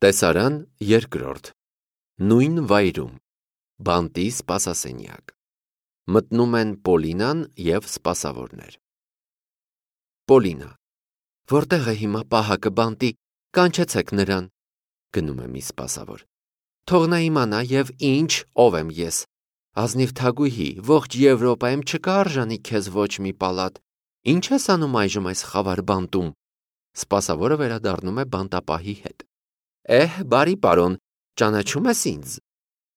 Տեսարան երկրորդ Նույն վայրում Բանտի սպասասենյակ Մտնում են Պոլինան և սպասավորներ Պոլինա Որտեղ է հիմա պահակը բանտի, կանչեցեք նրան Գնում է մի սպասավոր Թող նա իմանա և ինչ ով եմ ես Ազնիվ թագուհի, ողջ Եվրոպայում չկա արժանի քեզ ոչ մի պալատ Ինչ ես անում այժմ այս խավար բանտում Սպասավորը վերադառնում է բանտապահի հետ Բարի պարոն, ճանաչում ես ինձ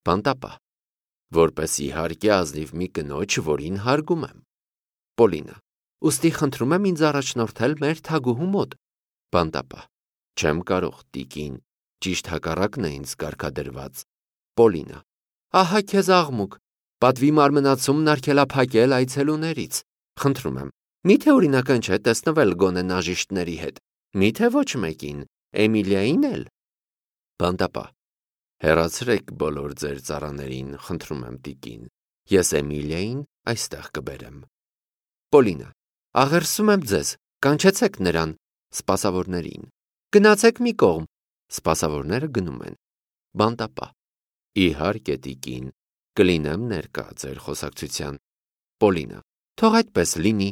Բանտապահ Որպես իհարկե ազնիվ մի կնոջ, որին հարգում եմ Պոլինա Ուստի խնդրում եմ ինձ առաջնորդել մեր թագուհու մոտ Բանտապահ Չեմ կարող, տիկին, ճիշտ հակառակն է ինձ կարգադրված Պոլինա Ահա քեզ աղմուկ Պատվի մարմնացումն արգելափակել այցելուներից Խնդրում եմ, միթե օրինական չէ տեսնվել գոնե նաժիշտների հետ Միթե ոչ մեկին, Էմիլիային էլ Բանտապահ Հեռացրեք բոլոր ձեր ծառաներին, խնդրում եմ տիկին Ես Էմիլիային այստեղ կբերեմ Պոլինա Աղերսում եմ ձեզ, կանչեցեք նրան Սպասավորներին Գնացեք մի կողմ Սպասավորները գնում են Բանտապահ Իհարկե տիկին Կլինեմ ներկա ձեր խոսակցության Պոլինա Թող այդպես լինի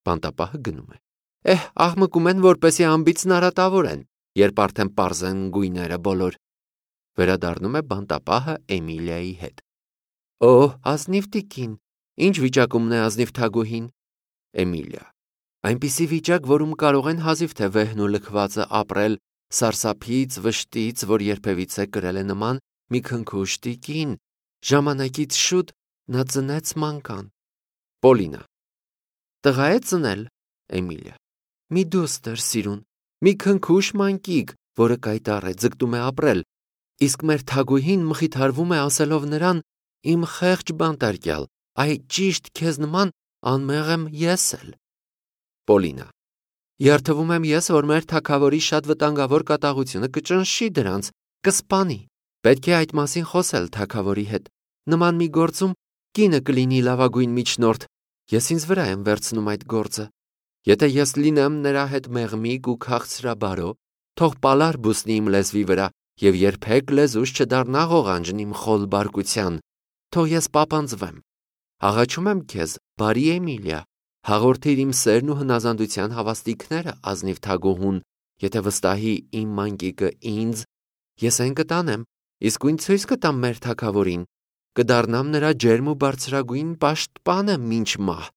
Բանտապահը գնում է Աղմկում են, որպեսի անբիծն արատավորեն Երբ արդեն պարզ են գույները բոլոր Վերադառնում է բանտապահը Էմիլիայի հետ Ազնիվ տիկին Ինչ վիճակումն է ազնիվ թագուհին Էմիլիա Այնպիսի վիճակ, որում կարող են հազիվ թե վեհն ու լքվածը ապրել Սարսափից, վշտից, որ երբևիցե կրել է նման մի քնքուշ տիկին Ժամանակից շուտ նա ծնեց մանկան Պոլինա Տղա է ծնել Էմիլիա Մի դուստր սիրուն Մի քնքուշ մանկիկ, որը կայտառ է, ձգտում է ապրել Իսկ մեր թագուհին մխիթարվում է ասելով նրան Իմ խեղճ բանտարկյալ, ճիշտ քեզ նման անմեղ եմ ես էլ Պոլինա Երդվում եմ ես, որ մեր թագավորի շատ վտանգավոր կատաղությունը կճնշի դրանց, կսպանի Պետք է այդ մասին խոսել թագավորի հետ Նման մի գործում կինը կլինի լավագույն միջնորդ Ես ինձ վրա եմ վերցնում այդ գործը Եթե ես լինեմ նրա հետ մեղմիկ ու քաղցրաբարո Թող պալար բուսնի իմ լեզվի վրա Եվ երբեք լեզուս չդառնա ղողանջն իմ խոլ բարկության Թող ես պապանձվեմ Աղաչում եմ քեզ, բարի Էմիլիա Հաղորդիր իմ սերն ու հնազանդության հավաստիքները ազնիվ թագուհուն Եթե վստահի իմ մանկիկը ինձ Ես այն կտանեմ Իսկույն ցույց կտամ մեր թագավորին Կդառնամ նրա ջերմ ու բարձրագույն պաշտպանը մինչ մահ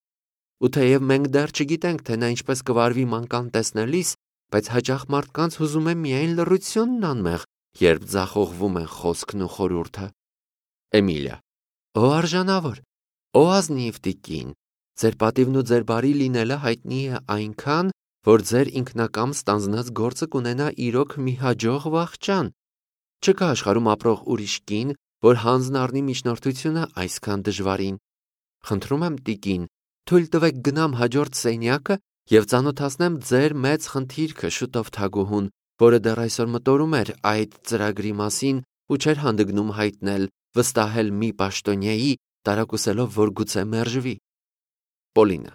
Ու թեև մենք դեռ չգիտենք, թե նա ինչպես կվարվի մանկան տեսնելիս Բայց հաճախ մարդկանց հուզում է միայն լռությունն անմեղ Երբ ձախողվում են խոսքն ու խորհուրդը Էմիլիա Արժանավոր ազնիվ տիկին Ձեր պատիվն ու ձեր բարի լինելը հայտնի է այնքան Որ ձեր ինքնակամ ստանձնած գործը կունենա իրոք մի հաջող վախճան Չկա աշխարհում ապրող ուրիշ կին Որ հանձն առնի միջնորդությունը այսքան դժվարին Խնդրում եմ տիկին Թույլ տվեք գնամ հաջորդ սենյակը Եվ ծանոթացնեմ ձեր մեծ խնդիրքը շուտով թագուհուն Որը դեռ այսօր մտորում էր այդ ծրագրի մասին Ու չէր հանդգնում հայտնել Վստահել մի պաշտոնյայի Տարակուսելով, որ գուցե մերժվի Պոլինա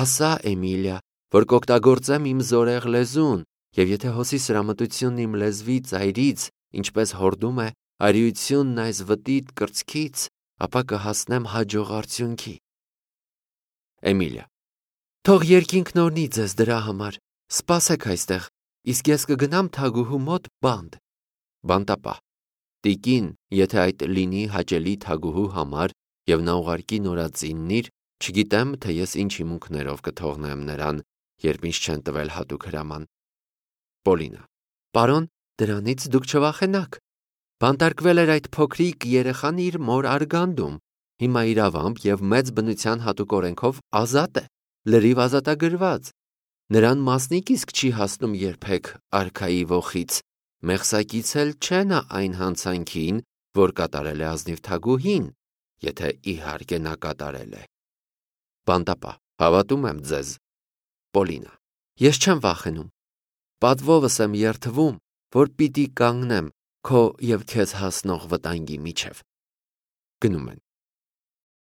Ասա Էմիլիա, որ կօգտագործեմ իմ զորեղ լեզուն Եվ եթե հոսի սրամտությունն իմ լեզվի ծայրից Ինչպես հորդում է արիությունն այս վտիտ կրծքից Ապա կհասնեմ հաջող արդյունքի Էմիլիա Թող երկինքն օրհնի ձեզ դրա համար Սպասեք այստեղ Իսկ ես կգնամ թագուհու մոտ բանտ Բանտապահ Տիկին, եթե այդ լինի հաճելի թագուհու համար Եվ նա ուղարկի նորածիննիր Չգիտեմ, թե ես ինչ հիմունքներով կթողնեմ նրան Երբ ինձ չեն տվել հատուկ հրաման Պոլինա Պարոն, դրանից դուք չվախենաք Բանտարկվել էր այդ փոքրիկ երեխան իր մոր արգանդում Հիմա իրավամբ և մեծ բնության հատուկ օրենքով ազատ է Լրիվ ազատագրված Նրան մասնիկ իսկ չի հասնում երբեք արքայի ոխից Մեղսակից էլ չէ նա այն հանցանքին, որ կատարել է ազնիվ թագուհին Եթե իհարկե նա կատարել է Բանտապահ Հավատում եմ ձեզ Պոլինա Ես չեմ վախենում Պատվովս եմ երդվում, որ պիտի կանգնեմ Քո և քեզ հասնող վտանգի միջև Գնում են